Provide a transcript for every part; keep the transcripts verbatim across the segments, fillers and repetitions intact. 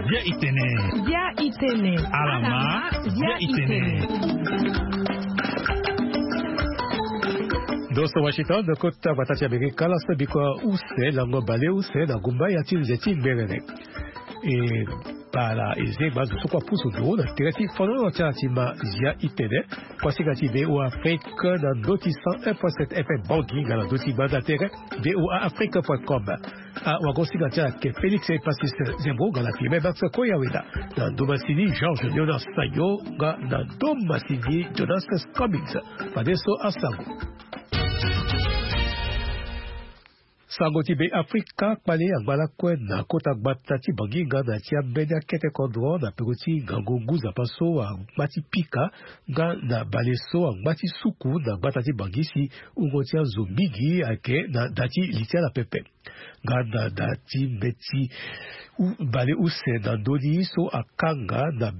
Bia itene. Bia itene. Alama. Bia itene. Ndo so Washington, ndo kota gbata ti Amerika, laso biko use lango bale use na gumba ya ti nze ti mberere. E bala e zengba azo so kue apusu nduru na tere ti fonono ti ala ti ma Bia itene. Kuasinga ti V O A Afrique na ndo ti cent un point sept F M Bangui nga na ndo ti gbanda tere V O A Afrique point com. Awagosinga ti ala ayeke Félix Epasis Zembo nga na Clément Max Koyaweda. Na ndo masini Georges Jonas Sayo nga na ndo masini Jonas Cummings. Fadeso asango. Sango ti Be Afrika kpale angba lakue na kota gbata ti Bangui nga na ti ambeni akete kodro na peko ti ngangu ngu nzapa so angba ti pika nga na bale so angba ti suku na gbata ti Bangui si wungo ti azo mingi ayeke na da ti li ti ala pepe. Nga na da ti mbeti u- bale use na ndoni so akanga na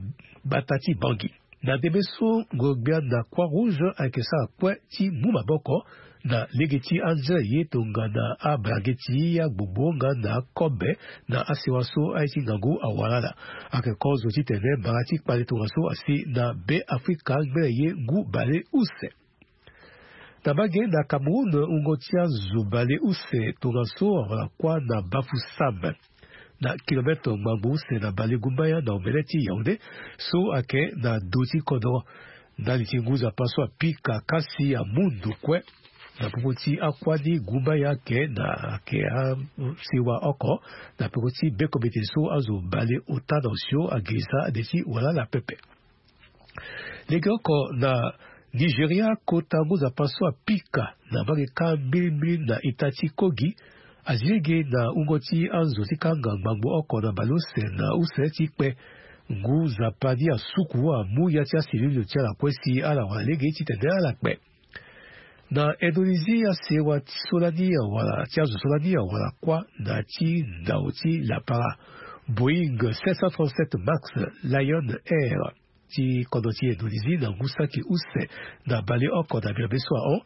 gbata ti Bangui. Na ndembe so ngoro-gbia na Croix Rouge ayeke sara kue ti mu maboko na lege ti anzere ye tongana abalangeti, agbogbo nga na akobe na asewa so aye ti ngangu awara ala. Ayeke kozo titene mbara ti kpale tongaso asi na Be Afrika ngbene ye ngu bale use. Na mbage na Cameroun, wungo ti azo bale use tongaso awara kuâ na Bafoussam, na kilometre ngbangbo use na bale gumbaya na omene ti Yaoundé, so ayeke na do ti kodro. Ndali ti ngu nzapa so apika kasi amu ndo kue na popo ti akuâ ni gumbaya ayeke na ayeke asewa oko na peko ti bekombete so azo bale ota na osio agirisa ade ti wala ala pepe. Legeoko na Nigeria, kota ngu nzapa so apika na mbage kâ mbilimbili na ita ti Kogi azi lege na wungo ti azo ti kanga ngbangbo oko na baleuse na use ti kpe. Ngu nzapa ni asuku amu ya ti aselile ti ala kue si ala wara lege titene ala kpe. Na Indonésie, asewa ti so lani awara ti azo so lani awara kuâ na ti ndau ti lapara Boeing sept cent trente-sept Max Lion Air ti kodro ti Indonésie na ngu saki use na baleoko na miombe so ahon.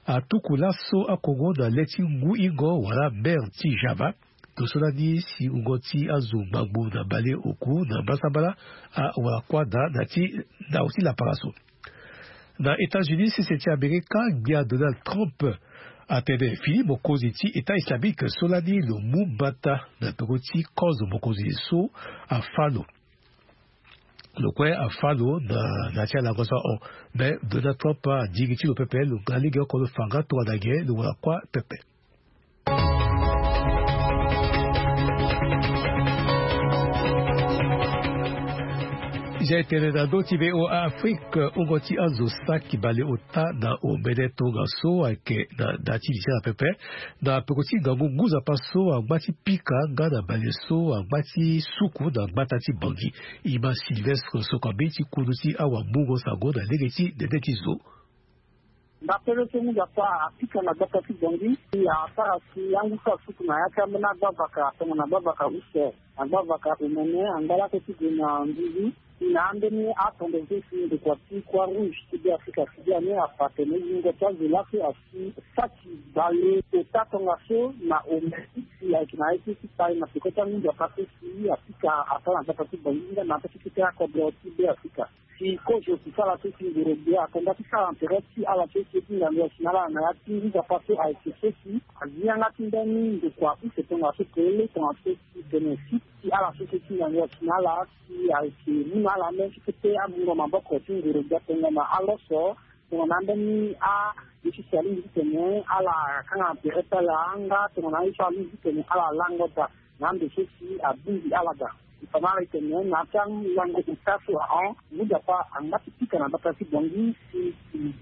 Atuku laso akongo na le ti ngu ingo wala mer ti Java. Ndo so lani si wungo ti azo ngbangbo na baleoku na mbasambala awara kuâ daa na ti ndau ti lapara so. Na États-Unis, sese ti Amerika, gbia Donald Trump atene fini mokonzi ti État islamique so lani lo mu mbata na ndongo ti kozo mokonzi so afâ lo. Lo kue afâ lo na, na ti alango so ahon. Me Donald Trump adiri ti lo pepe, lo ga lege oko lo fa nga tongana nyen lo wara kuâ pepe. Zia etene na ndö ti V O A Afrique, wungo ti azo saki baleota na omene tongaso ayeke na da ti li ti ala pepe. Na peko ti ngangu ngu nzapa so angba ti pika nga na bale so angba ti suku na gbata ti Bangui. Ima Sylvestre Sokambi ti kundu ti awamungo sango na lege ti nene ti zo. Ndapele so ngu nzapa apika na gbata ti Bangui, asara si angu so asuku na ya ti ambeni agbavaka tongana agbavaka use, agbavaka omene, angba lakue ti gue na nduzu. Si na ambeni atondo so si ndokua ti Croix Rouge ti Beafrika si biani afa atene wungo ti azo laso asi saki baleota tongaso na omene si ayeke na ye ti kpai na peko ti angu nzapa so si apika asara na gbata ti Bangui nga na ya ti kete akodro ti Beafrika. Si kozo si sara so si ngoro gbia akonda ti sara na tere ti ala so si e ti ngangu asi na ala na ya ti ngu nzapa so ayeke so si azi yanga ti mbeni ndokua use tongaso kele tongaso si tene si ti ala so si e ti ngangu asi na ala si ayeke mu na ala mbeni ti kete amungo maboko ti ngoro gbia tongana aloso, tongana ambeni a ye ti si alingbi titene ala kanga na tere ti ala nga tongana aye so alingbi titene ala lango daa na ando so si abongbi ala daa. E fa na ala e tene na ya ti alango ota so ahon, ngu nzapa angba ti pika na gbata ti Bangui si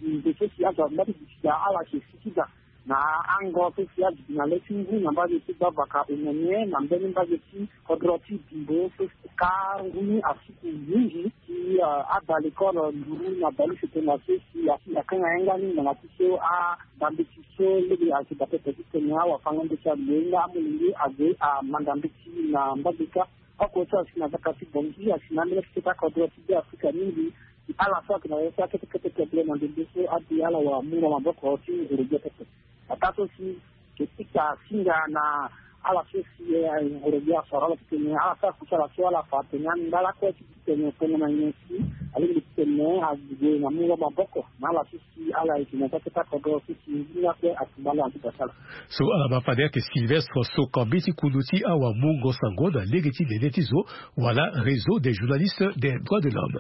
ndo so si azo angba ti duti daa ala si e siki daa. Na ango so si aduti na le ti ngu na mbage ti gbavaka omene na mbeni mbage ti kodro ti Bimbo so si ka ngu ni asuku mingi si, ah, ada lekole nduru na baleuse tongaso si asi akanga yanga ni ngbanga ti so adambeti so lege ayeke daa pepe titene awafanga mbeti ague nga amolenge ague amanda mbeti na mbage kâ. Oko so asi na gbata ti Bangui asi na ambeni ti kete akodro ti Beafrika mingi. Ala so ayeke na ya so akete kete kete na ndembe so abi ala wara mungo maboko ti nguru gbia pepe. Ataa so si ke ti ka singa na ala so si nguru gbia asara ala titene ala sara kusala so ala fa atene anda lakue ti titene tongo na nyen si alingbi titene ague na mungo maboko na ala so si ala yeke na kete kata kodro so si nzunga kue atumba ala na ti basala. So ala ma fade ayeke Sylvestre Sokambi ti kundu ti awamungo sango na lege ti nene ti zo wala Réseau des journalistes des droits de l'homme.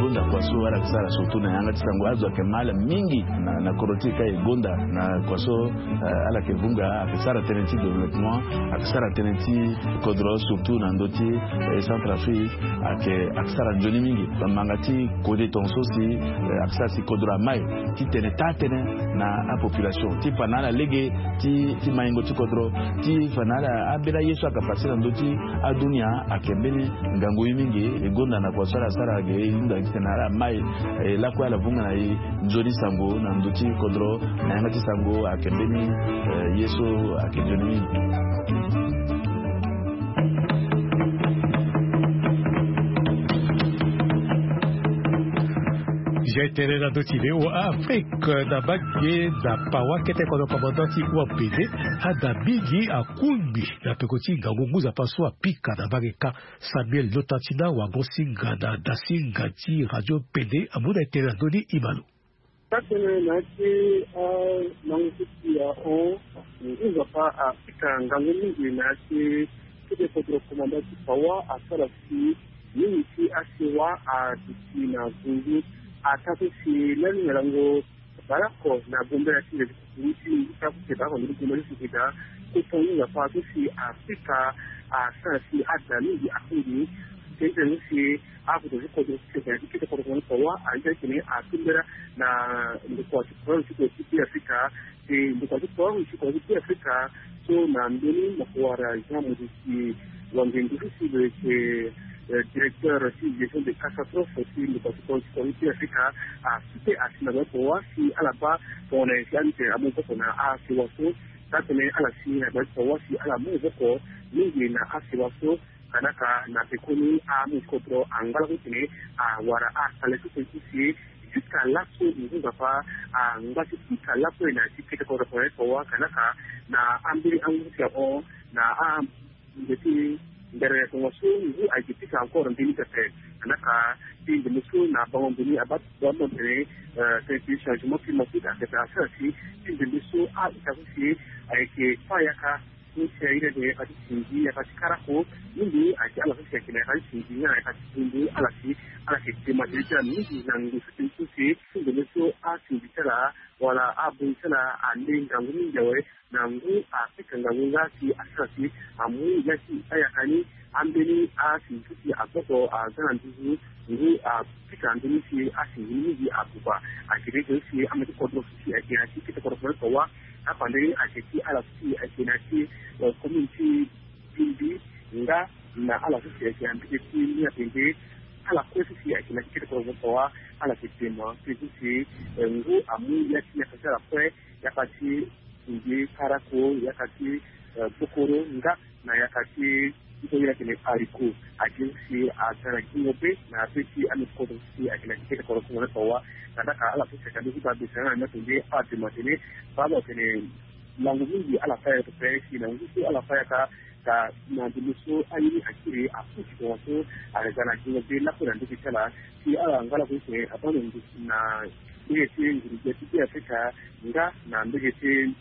Gonda kua so ala yeke sara surtout na yanga ti sango azo ayeke ma ala mingi na, na kodro ti e ka e gonda na kua so, eh, ala yeke vunga ayeke sara tënë ti développement, ayeke sara tënë ti kodro surtout na ndö ti, eh, Centrafrique, ayeke, ayeke sara nzoni mingi. Bamanga ti kode tongaso si, eh, ayeke sara si kodro amai ti tene taa tënë na apopulation ti fa na ala lege ti, ti maingo ti kodro, ti fa na ala ambeni aye so ayeke pase na ndö ti adunia ayeke mbeni ngangu ye mingi. E gonda na kua so ala sara ge e hunda titene ala mai, eh, lakue ala vunga na e nzoni sango na ndö ti kodro na yanga ti sango ayeke mbeni, eh, ye so ayeke nzoni mingi. Zia e tene na ndö ti V O A Afrique na mbage na Pawa kete kodro commandant ti Wampede ada mingi akungbi na peko ti ngangu ngu nzapa so apika na mbage ka. Samuel Lotatina wango singa na dasinga ti radio Pede amu na e tene na ndö ni Imalo. Taa tënë na ya ti alango so si ahon ngu nzapa apika ngangu mingi na ya ti kete kodro komanda ti Pawa asara si mingi ti asewa aduti na nzunzu. Ataa so si lani na lango Barako na gombela ti ndezi kukuru ti ngu ti akute barako ndeni gombela ti sukeda. Koton ngu nzapa so si apika asara si ada mingi akungbi. Tene tene so si akoto ti kodro ti sese na ti kete kodro ti Pawa andi ti atene atumbela na ndokua ti kodro ti kodro ti Be Afrika. Ti ndokua ti kodro ti kodro ti Be Afrika so na mbeni moko wara Jean Maurice Wangendu so si lo yeke, eh, directeur ti gestion de catastrophe ti ndokua ti kodro ti kodro ti Be Afrika. Asu te asi na bai Pawa si ala baa tongana nyen si amite amu maboko na asewa so. Taa tënë ala si na bai Pawa si ala mu maboko mingi na asewa so. Kanaka na pekoni amu ti kodro angba lakue titene awara akale so tene ti si jusqu'à laso ngu nzapa angba ti pika lakue na ya ti kete kodro Pawa. Kanaka na ambeni angu so si ahon na a nze ti ndere tongaso ngu ayeke pika encore mbeni pepe. Kanaka ti ndembe so na bango mbeni abaa ti bango tene, eh, tene ti changement climatique ayeke asara si ti ndembe so a-ita so si ayeke fa yaka. Ti si aye ni atene yaka ti singi, yaka ti karako, mingi ayeke ala so si ayeke na yaka ti singi nga na yaka ti dundu ala si ala yeke dema tënë ti ala mingi na ngu so tene so si ti ndembe so asingi ti ala wala abongi ti ala ande ngangu mingi awe. Na ngu apika ngangu nga si asara si amu ya ti ayaka ni ambeni asingi so si agboko aza na nduzu ngu apika nzoni si asingi ni mingi abuba. Ayeke tene tene so si ama ti kodro so si ayeke na ya ti kete kodro Pawa. Apandani ayeke ti ala so si ayeke na ya ti, eh, commune ti Bimbi nga na ala so si ayeke na mbege ti Niapende. Ala kue so si ayeke na ya ti kete kodro Pawa ala yeke dema tënë so si, eh, ngu amu ya ti yaka ti ala kue, yaka ti singi, karako, yaka ti, eh, bokoro nga na yaka ti so ye ni atene haricot. Ayeke so si aza na gingo be na be ti ame ti kodro so si ayeke na ya ti kete kodro Pawa. Tandaka ala so si ayeke na be ti babese na Niapende adema tene baa lo atene lango mingi ala fa yaka pepe si na ngu so ala fa yaka. Ka na ndembe so aye ni akiri aputi tongaso ayeke ga na gingo be lakue na ndege ti ala. Si ala nga lakue titene abaa na ngu na mbege ti nguru gbia ti Be Afrika nga na mbege ti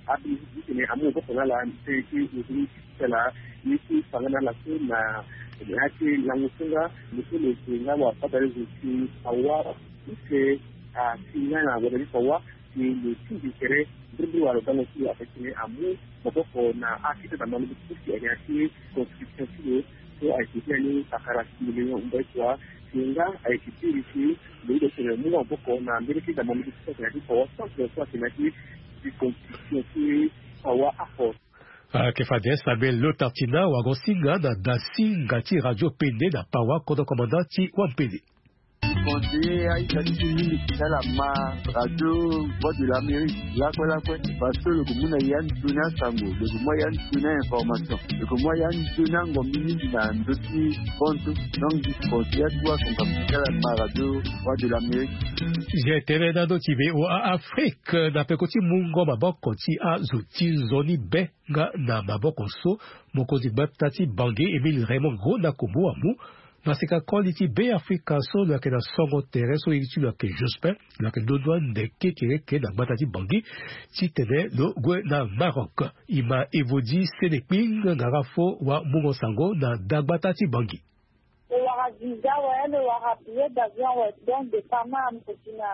abi ti titene amu maboko na ala tënë ti nzoni ti ala. Ye ti fa nga na ala so na ya ti lango so nga lo so lo yeke nga wabadale zo ti awa use asi nga na wabadale ti awa. Ti lo tingbi tere mbirimbiri wala lo dango ti lo ape tene amu maboko na akete na malobi ti so si ayeke na ya ti construction ti lo. So ayeke ti ya ni pakara ti million mbai kua. Ti nga ayeke ti iri ti lo hunda titene mu nga maboko na mbeni kete na malobi ti so ayeke na ya ti Pawa centre so ayeke na ya ti ti construction ti Pawa apo. Ayeke fade Samuel Lotartina wango singa na dasinga ti radio Pende na Pawa kodro komanda ti Wampende. Conseiller aita ti ti mingi ti ala ma radio Voix de l'Amérique lakue lakue. Parce que lo ko mu na ya ndoni asango, lo ko mu ya ndoni a-information, lo ko mu ya ndoni angombi mingi na ndö ti konto. Donc je conseille atu akonga ti ala ma radio Voix de l'Amérique. Je tene na ndö ti V O A Afrique na peko ti mungo maboko ti azo ti nzoni be nga na maboko so mokonzi gbata ti Bangui Émile Raymond Ngonda Kombo amu na sika koli ti Beafrika so lo yeke na songo tere so iri ti lo yeke Jospin, lo yeke ndondua nde kekereke na gbata ti Bangui titene lo gue na Maroc. E ma Evodi Senekping Ngarafo wa mungo sango na dagbata ti Bangui. Lo wara visa awe, lo wara billet d'avion awe, donc départ ni amolenge na.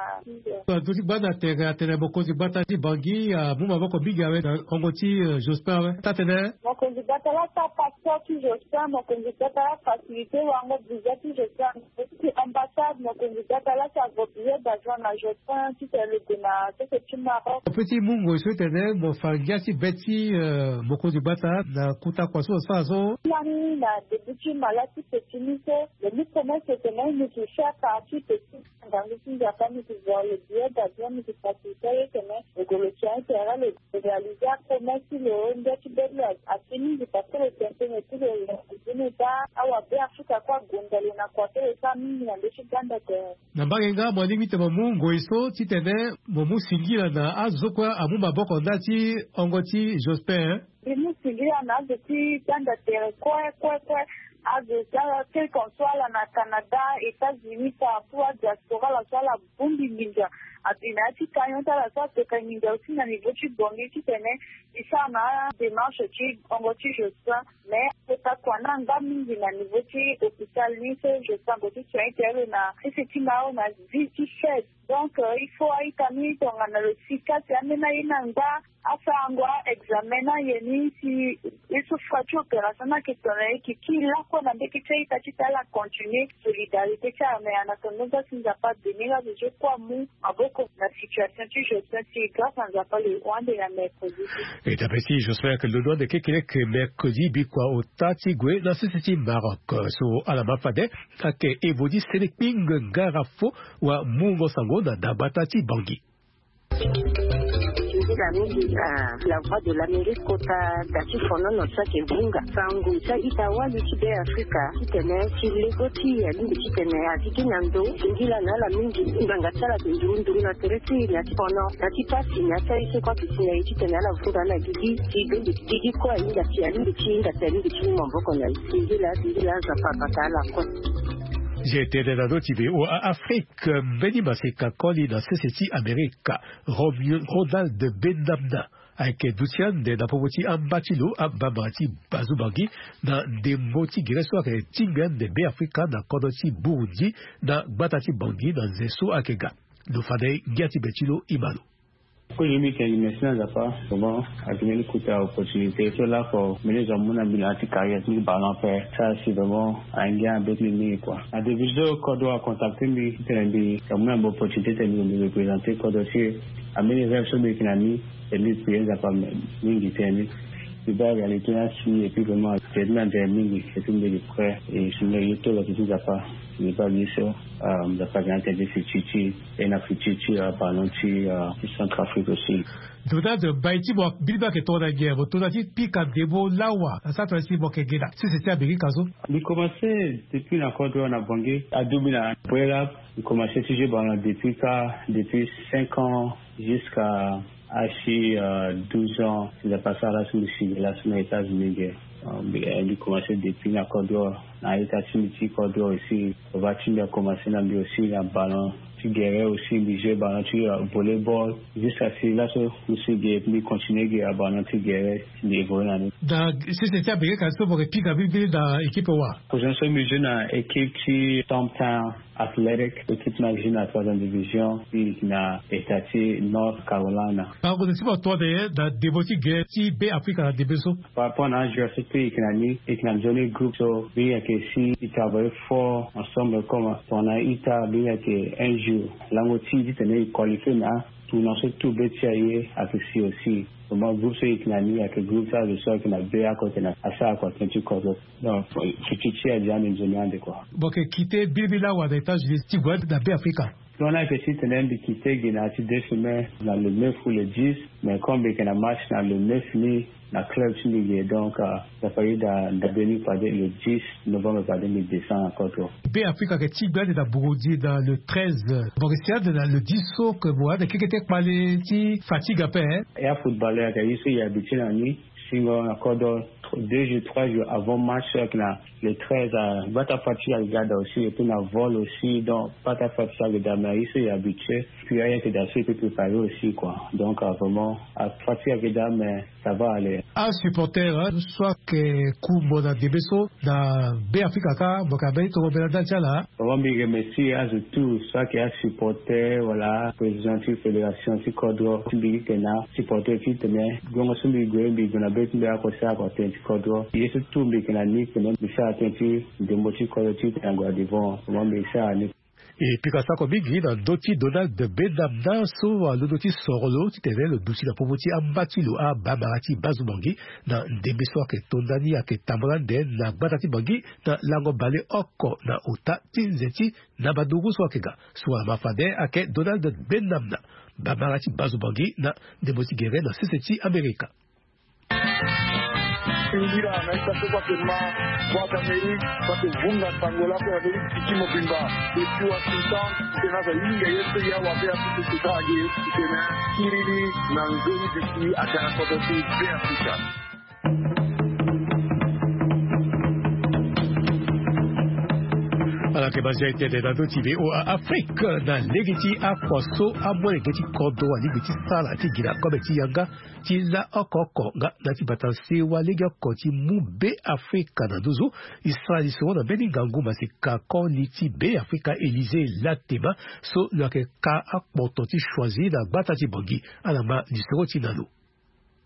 Ndö ti gbanda tere atene mokonzi gbata ti Bangui amu maboko mingi awe na hongo ti, eh, Jospin awe. Taa-tene mokonzi gbata laa asa passeport ti Jospin, mokonzi gbata laa facilité wango visa ti Jospin. Ti ambassade, mokonzi gbata laa asa vo billet d'avion na Jospin titene lo gue na sese ti Maroc. Ape ti mu ngoi so tene mo fa ngia ti be ti, eh, mokonzi gbata na kuta kua so lo sara so. Lani na début ti mala ti petit ni so, lo mu promesse tene mi yeke faire partie petit ngangu ti Nzapa, mi yeke vo lo billet d'avion, mi yeke facilité ye tene lo gue lo tien tere lo réaliser apromesse ti lo. Ngia ti be ti lo asi mingi parce que lo tene tënë ti lo, lo tene daa awa Beafrika kue agonda lo na kua so lo sara mingi na ndö ti gbanda tere. Na mbage nga mo lingbi ti mo mu ngoi so titene mo mu singila na azo so kue amu maboko ndali ti hongo ti Jospin, eh? Mbi mu singila na azo ti gbanda tere kue kue kue, azo ti ala quel qu'en soit ala na Canada, États-Unis, partout adiaspora ala so ala bongbi nginza. Ape na ya ti camion ti ala so ateka nginza aussi na niveau ti Bangui titene e sara na adémarche ti hongo ti Jospin. Mais kota kua ni angba mingi na niveau ti hôpital ni so Jospin ague ti soigner tere lo na sese ti Maroc na ville ti Fès. Donc, euh, il faut a-ita ni tongana lo si kasi ambeni aye ni angba asarango a-examen na aye ni si e so fa ti opération ni ayeke tongana e yeke kiri lakue na mbege ti a-ita titene ala continuer solidarité ti ala. Mais en attendant, si Nzapa abénir azo so kue amu maboko na situation ti Jospin, si grâce à Nzapa lo hon ande na mercredi. E dape ti Jospin ayeke londo ande kekereke mercredi bikua ota ti gue na sese ti Maroc. So ala ma fade ayeke Evodi Senekping Ngarafo wa mungo sango na dagbata ti Bangui. Nzila mingi, ah, la Voix de l'Amérique kota da ti fonono so ayeke vunga sango ti a-ita wali ti Beafrika titene ti lego ti e alingbi titene a zi gi na ndo singila na ala mingi. Ngbanga ti ala ayeke nduru nduru na tere ti e na ti fono na ti pasi na ya ti aye so kue ayeke si na e titene ala vunga na gigi ti bende ti gigi kue ahinga si alingbi ti hinga si alingbi ti mu maboko na e. Singila singila Nzapa abata ala kue. Je tene na ndö ti V O A Afrique. Mbeni maseka koli na sese ti Amerika, Rom-, Ronald Benamna ayeke duti ande na popo ti amba ti lo, ambamba ti Bazu Bangui, na ndembo ti gere so ayeke tingbi ande Beafrika na kodro ti Burundi na gbata ti Bangui na nze so ayeke ga. Lo fa na e ngia ti be ti lo e ma lo. Kozo mbi yeke gi merci na Nzapa, vraiment, ayeke mbeni kota opportunité so lakue mbeni zo amu na mbi na ya ti carrière ti mbi ballon ape. Sara si vraiment angia na be ti mbi mingi kua. Na début so kodro acontacté mbi titene mbi amu na mbi opportunité titene mbi représenter kodro ti e. Ambeni rêve so mbi yeke na ni, e mbi prier Nzapa mingi titene mbi baa réalité ni asi, et puis vraiment tere ti mbi anzere mingi, et puis mbi yeke prêt. E si mbi ye ti lo ti Nzapa, mbi baa ye so, euh, Nzapa ayeke na tene ti futur ti e, na futur ti, euh, ballon ti, euh, ti Centrafrique aussi. Donald, mbai ti mo biri mbi ayeke tongana nyen? Mo to na ti pika ndembo lawa na sara tongana si mo yeke gi na sese ti Amerika so? Mbi commencé depuis na kodro na Bangui, aduti mbi na Brelab. Mbi commencé ti jouer ballon depuis ka, depuis cinq ans jusqu'à asi, euh, douze ans. Nzapa asara laso mbi si gi laso na États-Unis ge. Euh, mbi, euh, mbi commencé depuis na kodro, na a-ita ti mbi ti kodro aussi. Papa ti mbi acommence na mbi aussi na ballon ti gere aussi, mbi jouer ballon ti, euh, volleyball. Jusqu'à si laso mbi si ge, mbi continuer ge na ballon ti gere, mbi évoluer na ni. Na sese ti Amerika so mo yeke pika mbirimbiri na équipe wa? Position so mbi jouer na équipe ti Stumptown Athletic, équipe ni ayeke jouer na troisième division, mbi yeke na état ti North Carolina. Bango na ti mo tongana nyen na ndembo ti ge ti Beafrika na ndembe so? Par rapport na ajoueur so mbi yeke na ni, mbi yeke na nzoni groupe so mbi yeke si mbi travailler fort ensemble comme tongana ita, mbi yeke un jour lango ti titene e qualifier na Tournoi so tout be ti aye ayeke si aussi. Vraiment groupe so e yeke na ni ayeke groupe so azo so ayeke na be oko ayeke na asara kua tënë ti kodro. Donc fiti ti aye adi ande nzoni ande kua. Bon, yeke kite birimbiri lawa na États-Unis ti gue na be Afrika. Tongana ayeke titene mbi kite gi na ya ti deux semaines na le neuf ou le dix. Mais comme mbi yeke na match na le neuf ni na club ti mbi ge, donc ça fait daa ndabe ni fade le dix novembre fade mbi descend na kodro. Be Afrika ayeke ti gbe ande na Burundi na le treize. Bon, si ande na le dix so ke mo ande kekete kpale ti fatigue ape, hein. Ya footballeur ayeke ye so e habitué na ni. Singo na kodro deux jours trois jours avant match so ayeke na le treize, gbata fatigue ayeke ga daa aussi, et puis na vol aussi, donc gbata fatigue ayeke daa, mais aye so e habitué. Puis aye ayeke daa so e peut préparer aussi quoi. Donc vraiment afatigue ayeke daa, mais ça va aller. Asupporter so ayeke ku mo na ndembe so na be Afrika kâ, mo yeke na mbeni tongo mbela ndali ti ala. Vraiment mbi remercie azo tout so ayeke asupporter wala président ti fédération ti kodro ti mbi ti tene asupporter ti tene guengo so mbi gue mbi gue na be ti mbi oko sara kua tënë ti kodro. Ye so tout mbi yeke na ni tene mbi sara tënë ti ndembo ti kodro ti tene ague na devant. Vraiment mbi sara ni. E pika sako mingi na ndö ti Donald Benamna so alondo ti soro lo titene lo duti na popo ti amba ti lo abamara ti Bazubangi na ndembe so ayeke to ndani ayeke tambula ande na gbata ti Bangi na lango baleoko na ota ti nze ti na mandungu so ayeke ga. So ala ma fade ayeke Donald Benamna, bamara ti Bazubangi na ndembo ti gere na sese ti Amerika. Singira na ita so kua ke ma Voix d'Amérique kua ke vunga sango lako na be ti tiki mobimba. Depuis Washington, tena za yinga ye so ya wa be Afrika ti ta age tena kiriri na nzoni duti aga na kodro ti be Afrika. Ala yeke banza etene na ndö ti V O A Afrique na lege ti akua so amolenge ti kodro alingbi ti sara ti gi na kobe ti yanga ti la oko oko nga na ti bata sewa lege oko ti mu be Afrika na nduzu. E sara lisoro na mbeni ngangu maseka koli ti be Afrika Élysée Latema so lo yeke ka akpoto ti choisi na gbata ti Bangi. Ala ma lisoro ti na lo.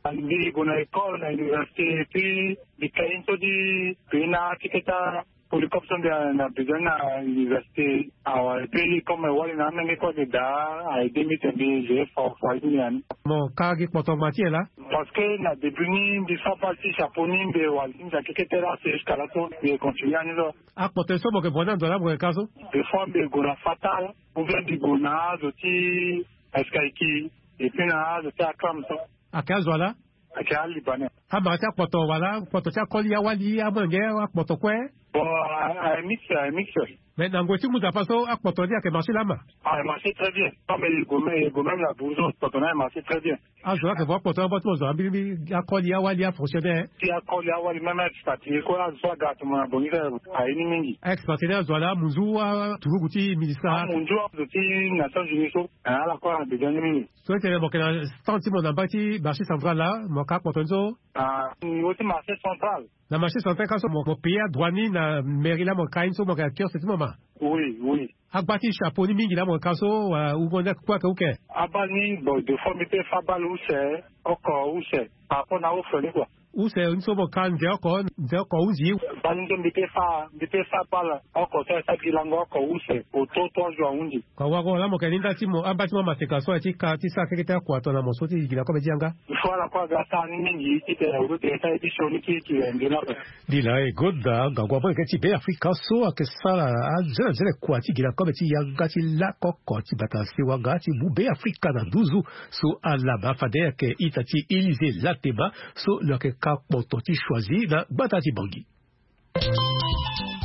Mbi gue na école na université et puis mbi ka ye so ti pena ti keta polycope so mbi na besoin na université. Awa et puis comme wali na amenge kue ayeke daa a aide mbi te mbi je fort fort ti mbi na ni. Mo ka gi kpoto ma ti e laa? Parce que na début ni mbi fa bale ti chapeau ni mbi wali ti mbi ayeke kete laa, c'est jusqu'à là so mbi continue ani so. Akpoto so mo yeke vo ni ando laa mo yeke ka so? Des fois mbi gue na Fatal ou bien mbi gue na azo ti Escaiki et puis na azo ti Akram so. Ayeke azo ala? Ayeke alibanais. Amara ti akpoto wala akpoto ti akoli awali amolenge akpoto kue? Bon, a mix, a mix. Mais na ngoi ti mu nzapa so akpoto ni ayeke marché lama? Ah, marché très bien. Ah mais il go même, il go même la bourse, akpoto na marché très bien. Azo ayeke vo akpoto na bâtiment zo ambiri akoli awali afonctionnaire. Ti akoli awali même expatrié kue azo so aga atongana bongi aye ni mingi. Expatrié azo ala munzu aturugu ti ministre, munzu azo ti Nations Unies so. Ala kue ala besoin ni mingi. So tene mo yeke na stand ti mo na mba ti marché central laa mo ka akpoto ni so? Ah, niveau ti marché central. Na marché central ka so mo payer adroit ni na mairie laa mo ka ye ni so mo yeke na kiosque ti mo ma? Oui, oui. Agba ti chapeau ni mingi laa mo yeke ka so wala wungo ni kue ayeke uke? Abale ni bon des fois mbi peut fa abale use oko use par rapport na use ni kua. Use ni so mo ka nze oko nze oko hunzi? Bale ni so mbi peut fa mbi peut fa abale oko so ayeke sara gi lango oko use au taux trois jours ahunzi. Kua wago laa mo yeke ni nda ti mo amba ti mo amaseka so aye ti ka ti sara keke ti akua tongana mo so ti gi na kobe ti yanga. Il faut ala kue aga sara ni mingi titene azo ti esa ye ti sioni kiri kiri nzoni ape. Ni laa e gonda ngangu amolenge ti Be Afrika so ayeke sara anzene anzene kua ti gi na kobe ti yanga ti lakoko ti bata sewa nga ti mu Be Afrika na nduzu. So ala ma fade ayeke ita ti Élysée Latema so lo yeke ka kpoto ti choisi na gbata ti Bangui.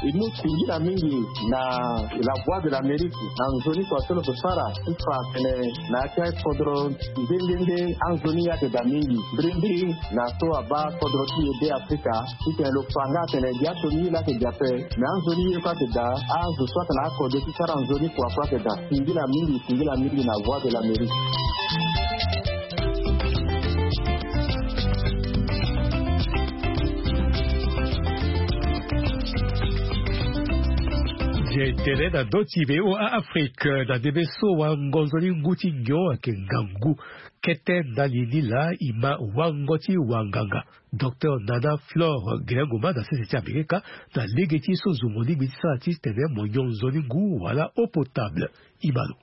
E mu singila mingi na La Voix de l'Amérique na nzoni kua so lo yeke sara ti fa atene na ya ti akodro nde nde nde anzoni ayeke daa mingi mbirimbiri na so abaa kodro ti e Be Afrika titene lo fa nga atene gi aso ni ye laa ayeke gi ape. Me anzoni ye kue ayeke daa azo so atene akode ti sara nzoni kua kue ayeke daa. Singila mingi singila mingi na Voix de l'Amérique. Ye tene na ndö ti V O A Afrique na ndembe so wango nzoni ngu ti nyon ayeke ngangu. Kete ndali ni laa e ma wango ti wanganga Docteur Nana Flore Gelengoma na sese ti Amerika na lege ti so zo mo lingbi ti sara titene mo nyon nzoni ngu wala eau potable. E ma lo.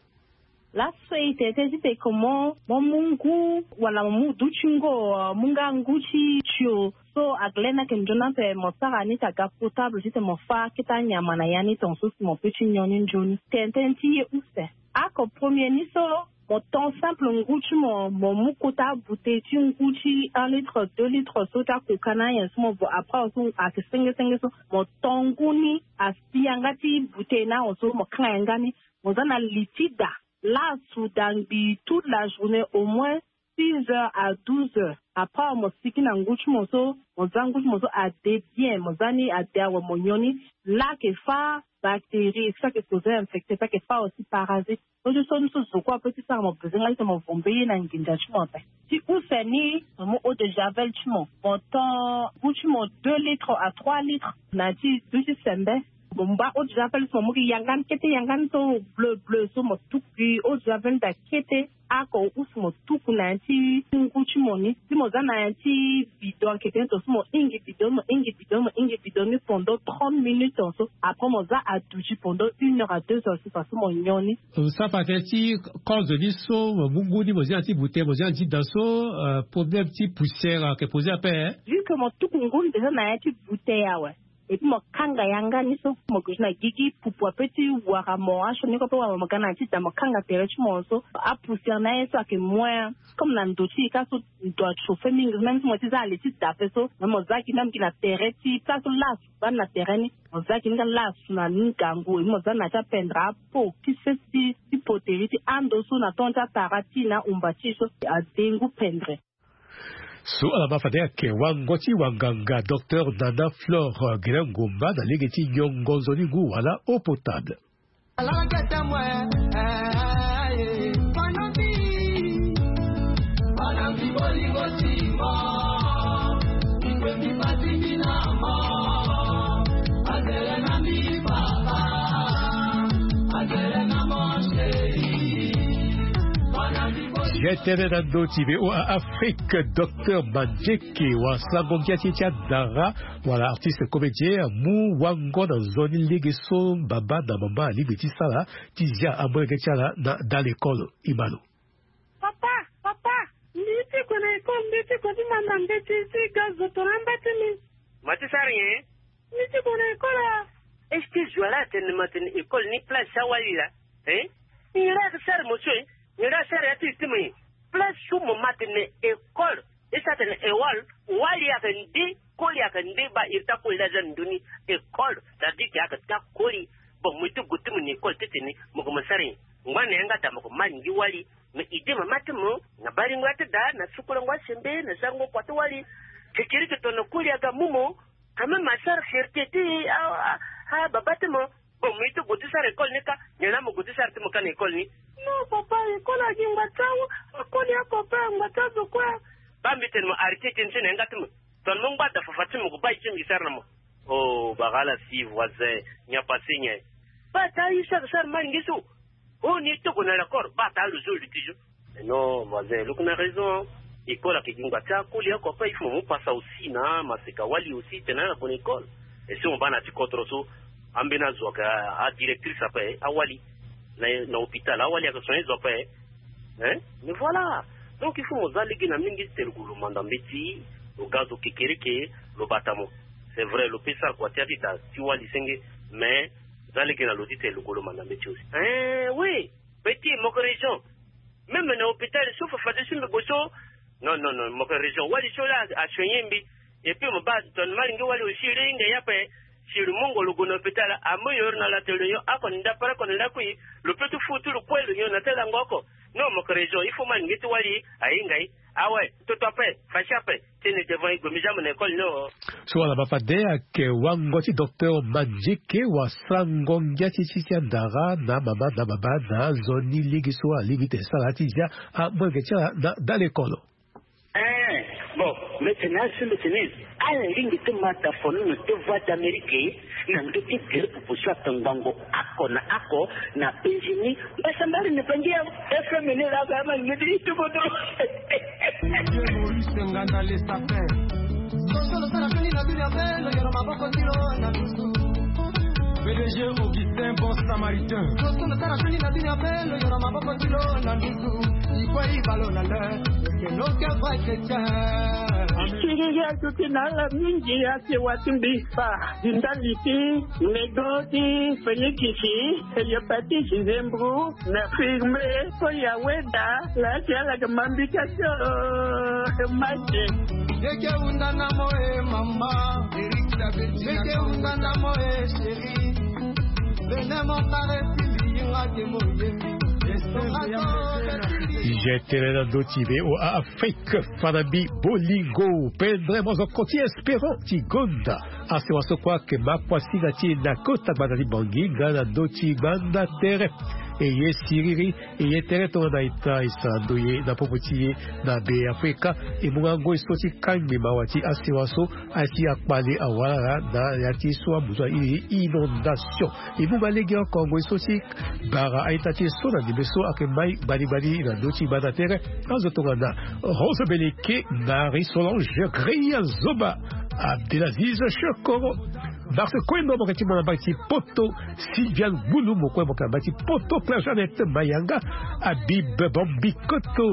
Laso e tene tënë ti tene ke mo, mo mu ngu, wala mo mu duti ngo, mu nga ngu ti tio. So aglen ayeke nzoni ape mo sara ni ti aga potable ti tene mo fâ akete anyama na ya ni tongaso si mo pe ti nyon ni nzoni. Tene tënë ti ye use. Ako premier ni so, mo ton simple ngu ti mo, mo mu kota bouteille ti ngu ti un litre, deux litres so ti akoka na anyen so mo vo après so ayeke senge senge so, mo ton ngu ni asi yanga ti bouteille na ahon so mo kanga yanga ni. Mo za na li ti da. Laso da ngbii toute la journée, au moins six heures à douze heures. Après mo siki na ngu ti mo so, mo za ngu ti mo so ade bien, mo za ni ade awe mo nyon ni. Laa ayeke fâ bactérie, so ayeke causer infecté, so ayeke fâ aussi parasite. So ti so ni so zo kue ape ti sara mo besoin nga ti tene mo vo mbeni ye na nginza ti mo ape. Ti use ni, mo mu eau de javel ti mo, mo ton ngu ti mo deux litres à trois litres na ya ti duti sembe. Mo mba eau de javel so mo mu gi yanga ni kete, yanga ni so bleu bleu so mo tuku gi eau de javel daa kete. Ako use mo tuku na ya ti ngu ti mo ni, si mo za na ya ti bidon ayeke tene tongaso mo hingi bidon, mo hingi bidon, mo hingi bidon ni pendant trente minutes tongaso. Après mo za aduti pendant une heure à deux heures so parce que mo nyon ni. Mo sara pate ti cause ni so mo mu ngu ni mo zi na ya ti bouteille, mo zi na ya ti da so, euh, problème ti poussière ayeke poser ape, hein? Vu que mo tuku ngu ni déjà na ya ti bouteille awe. Et puis mo kanga yanga ni so mo gue ti na gigi pupu ape ti wara mo, asioni kue ape wara mo ga na ya ti da mo kanga tere ti mo so apoussière na ye so ayeke moins. Comme na ndo ti e ka so ndo achauffe mingi, même si mo ti za na li ti da ape so, même mo za gi même gi na tere ti place so laa asu baa ni na tere ni, mo za gi ni ka laa asu na ni ngangu, et mo za na ya ti apendre apo ti sese ti poterie ti ando so na tongo ti atara ti e na ahumba ti e so ade ngu pendre. So ala ma fade ayeke wango ti wanganga docteur Nana Flore Gelen Ngomba na lege ti nyongo nzoni ngu wala eau potable. Ye tënë na ndö ti V O A Afrique, docteur Mandieke, wasango ngia ti e ti andara, wala artiste comédien, amu wango na nzoni lege so baba na mama alingbi ti sara ti zia amolenge ti ala na da lekole. Imalo. Papa, papa, mbi ti gue na école, mbi ti gue ti manda mbeti ti ga zo tongana amba ti mbi. Ma ti sara nyen? Mbi ti gue na école a. Est-ce que zo ala atene ma tene école ni place ti awali laa? Hein? Nyen la ayeke sara mo so e? Nyen la asara ya ti e ti mo e? Place so mo ma tene école, e sara tene école, wali ayeke nde, koli ayeke nde, baa iri ti akoli laa aza na ndö ni école, ça veut dire que ayeke taa koli. Bon, mo ye ti gue ti mo na école ti tene mo gue mo sara nyen? Ngba na yanga daa mo gue malingi wali. Mais idée mama ti mo na balingo ya ti daa na sukulango asembe na sarango kua ti wali. Kekereke tongana koli aga mu mo. Quand même asara fierté ti a, a, a baba ti mo. Bon, mo ye ti gue ti sara école ni ka, nyen la mo gue ti sara ti mo ka na école ni? Non papa, école agi ngba ti awu, akoli oko ape, ngba ti azo kue. Baa mbi tene mo arrêté ti ni so na yanga ti mo. Tongana mo ngba da fafa ti mo gue baa ye ti mbi sara na mo. Oh, bara ala si voisin, nyen apasé nyen? Baa taa ye so ayeke sara malingi so. Oh, ni togo na l'accord, baa taa lo zo luti zo. Eh non, voisin, lo yeke na raison. École ayeke gi ngba ti akoli oko ape, il faut mo mu pasa aussi na maseka wali aussi tene ala gue na école. Et si mo baa na ya ti kodro so, ambeni azo ayeke a, adirectrice ape, awali. Na, na hôpital, awali ayeke soigner zo ape. Hein? Mais voilà. Donc il faut mo za lege na mingi ti tene lo gue lo manda mbeti, lo ga zo kekereke, lo bata mo. C'est vrai, lo pe sara kua ti ya ti da ti wali senge, mais za lege na lo ti tene lo gue lo manda mbeti aussi. Eh oui. Petit, mo yeke raison. Même na hôpital so fafa ti so mbi gue so. Non, non, non, mo yeke raison. Wali so la asoigner mbi. Et puis mo baa tongana malingi wali aussi, lo hinga ye ape. Si lo mungo lo gue na hôpital, amu yo na la tene lo nyon oko na ndapere oko na ndakui, lo pe ti fu ti lo kue lo nyon na ti lango oko. Non, mo yeke raison. Il faut malingi ti wali ahinga ye. Awe, toto ape, fâché ape. Ti ni devant e gue mbi za mo na école ni o. So ala ma fade ayeke wango ti docteur Mandieke, wasango ngia ti e ti andara na mama na baba na nzoni lege so alingbi ti sara ti zia amolenge ti ala na da lekole. Eh, bon, mbi tene azo mbi tene ala lingbi ti ma da fono na deux voix d'Amérique na ndö ti gere pupu so atongbango oko na oko na Benjini. Mbasambari na bangi ya F M ni la ba ma ngeti ituko do. Maurice Nganda le sapin. Kosolo sala kani na bino ya belo, yoro maboko tiro na lusu. P D G Augustin, bon samaritain. Siriri azuti na ala mingi ake wati mbi fa di ndali ti nego ti Félix, eye pati Gisembro na firme so ya weda la ti ala ke mambika so. Mate. Yeke unda na mo e mama. Yeke unda na mo e chéri. Bene mo kare ti liyinga ke mo yemi. Estomato. Je tene na ndö ti V O A Afrique, fa na mbi bolingo. Pendere mo zo koti espérant ti gonda. Asewa so kue ake ma kuasinga ti e na kota gbanda ti Bangui nga na ndö ti gbanda tere. E ye siriri, e ye tere tongana ita e sara ndoye na popo ti e na Be Afrika. E mu nga ngoi so ti kangbi mawa ti asewa so, aye ti akpale awara na ya ti so amuzu airi inondation. E mu nga lege oko ngoi so ti bara a-ita ti e so na ndembe so ake mai gbani gbani na ndö ti gbanda tere. Azo tongana Rose Beleke, Marie Solange, Greya Zoba, Abdelaziz Chokoro, Marc Koendo, mo yeke ti mo na mbage ti Poto, Sylviane Gbulu, mo kue mo yeke na mbage ti Poto, Claire Jeannette Mayanga, Habib Bambikoto,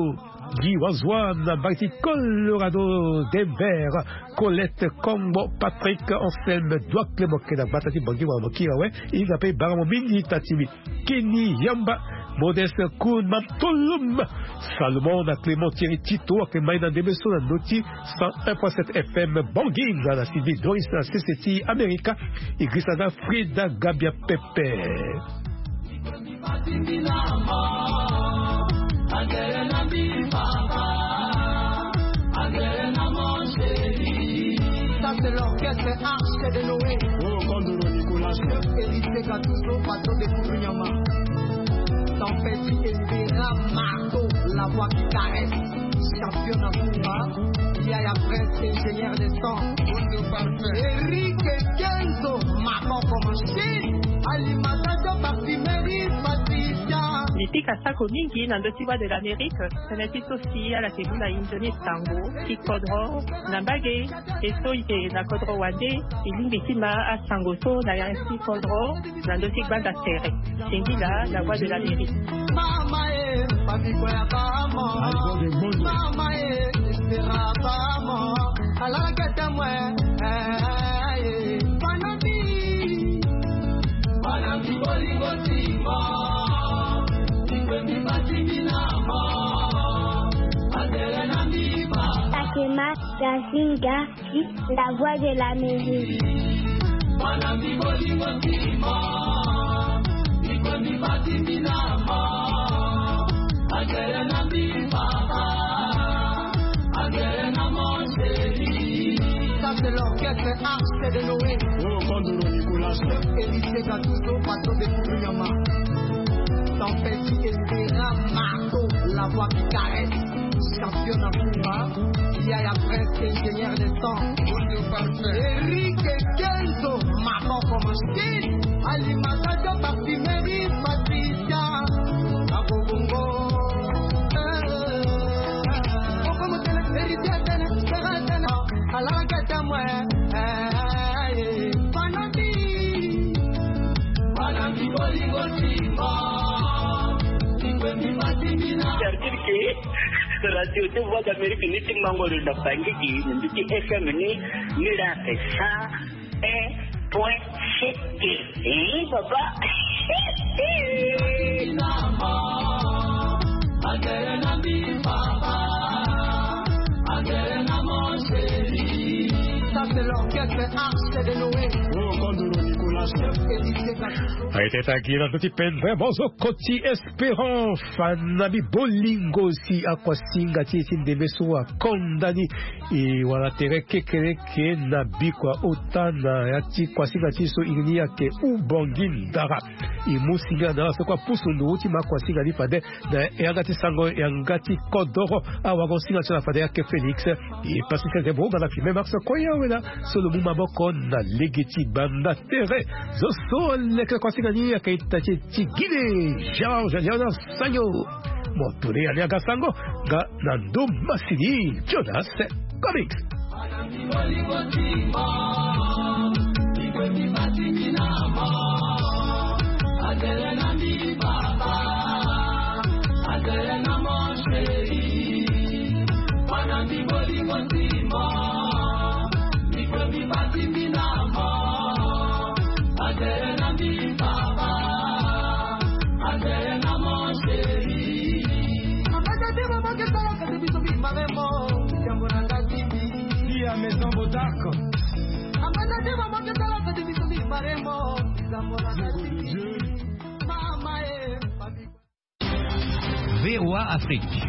Guy Wazouan na mbage ti Colorado Denver, Colette Kongbo, Patrick Anselme Douakle, mo yeke na gbata ti Bangui wala mo kiri awe. E hinga mpe e bara mo mingi ita ti mbi. Kenny Yamba, Modeste Koun, Mam Tolom, Salomon na Clément Thierry Tito ake mai na ndembe so na ndö ti cent un point sept F M Bangui nga na Sylvie Doris na sese ti Amerika. E girisa nga Frida Gabia Pepe. Ça, c'est l'orchestre Arche de Noé. Oh, Kondoro Nicolas. Héritier Gattuso, patron de Kourounyama. Tempête Espera Marteau, la voix qui caresse. Champion Nakoura. Yaya Prince, ingénieur de son. Eric Kenzo, Maman Promotion. Alimentation, parfumerie, Patricia. Mipika sako mingi na ndö ti Voix de l'Amérique. Tënë ti so si ala ke mu na inzo ni sango ti kodro na mbage. E so e yeke na kodro wande, e lingbi ti ma asango so na ya ti kodro na ndö ti gbanda tere. Singila, La Voix de l'Amérique. Mama e, famille Boya Bamo. Mama e, Espera Bamo. Alala kete mwe. Eh, eh, eh. Fanabi. Fanabi bolingo timo. Tikwe mi bati mi na mo. Adele na mi ba. Takema, Jazinga. La Voix de l'Amérique. Ça, c'est l'orchestre Arche de Noé. Oh, Kondoro Nicolas. Héritier Gattuso, patron de Kourounyama. Tempête Espera Marteau, la voix qui caresse. Champion Nakoura, Yaya Prince, ingénieur de son. Eric Kenzo, Maman Promotion. Alimentation, parfumerie, Patricia. Abobongo. Eh, eh, eh. Héritier Tene, Tene, Tene. Alakete mwe. Eh, eh, eh. Fanabi. C'est-à-dire que radio ti Voix d'Amérique ni ti mango lo na Bangui gi, ni ti F M ni, ni la ke cent un point sept. Eh, papa. Ça, c'est l'orchestre Arche de Noé. Oh, Kondoro Nicolas. Héritier Gattuso. Aye teta gi na ndö ti pendere mo zo koti Espérant, Fanabi bolingo si akuasinga ti e ti ndembe so akonda ni. E wara tere kekereke na bikua ota na ya ti kuasinga ti e so iri ni ayeke Ubangui Ndara. E mu singila na ala so kue apusu nduru ti ma kuasinga ni fade na yanga ti sango, yanga ti kodoro. Awagosinga ti ala fade ayeke Félix. E pasi ti azembo nga na filme Max Koya Wela so lo mu maboko na lege ti banda tere. Zo so leke kuasinga ni ayeke ita ti e ti Guinée, Georges Léonard Sagno. Mo tule ya ni aga sango nga na ndo masini Jonas Comics. Sia Maison Botac. V O A Afrique.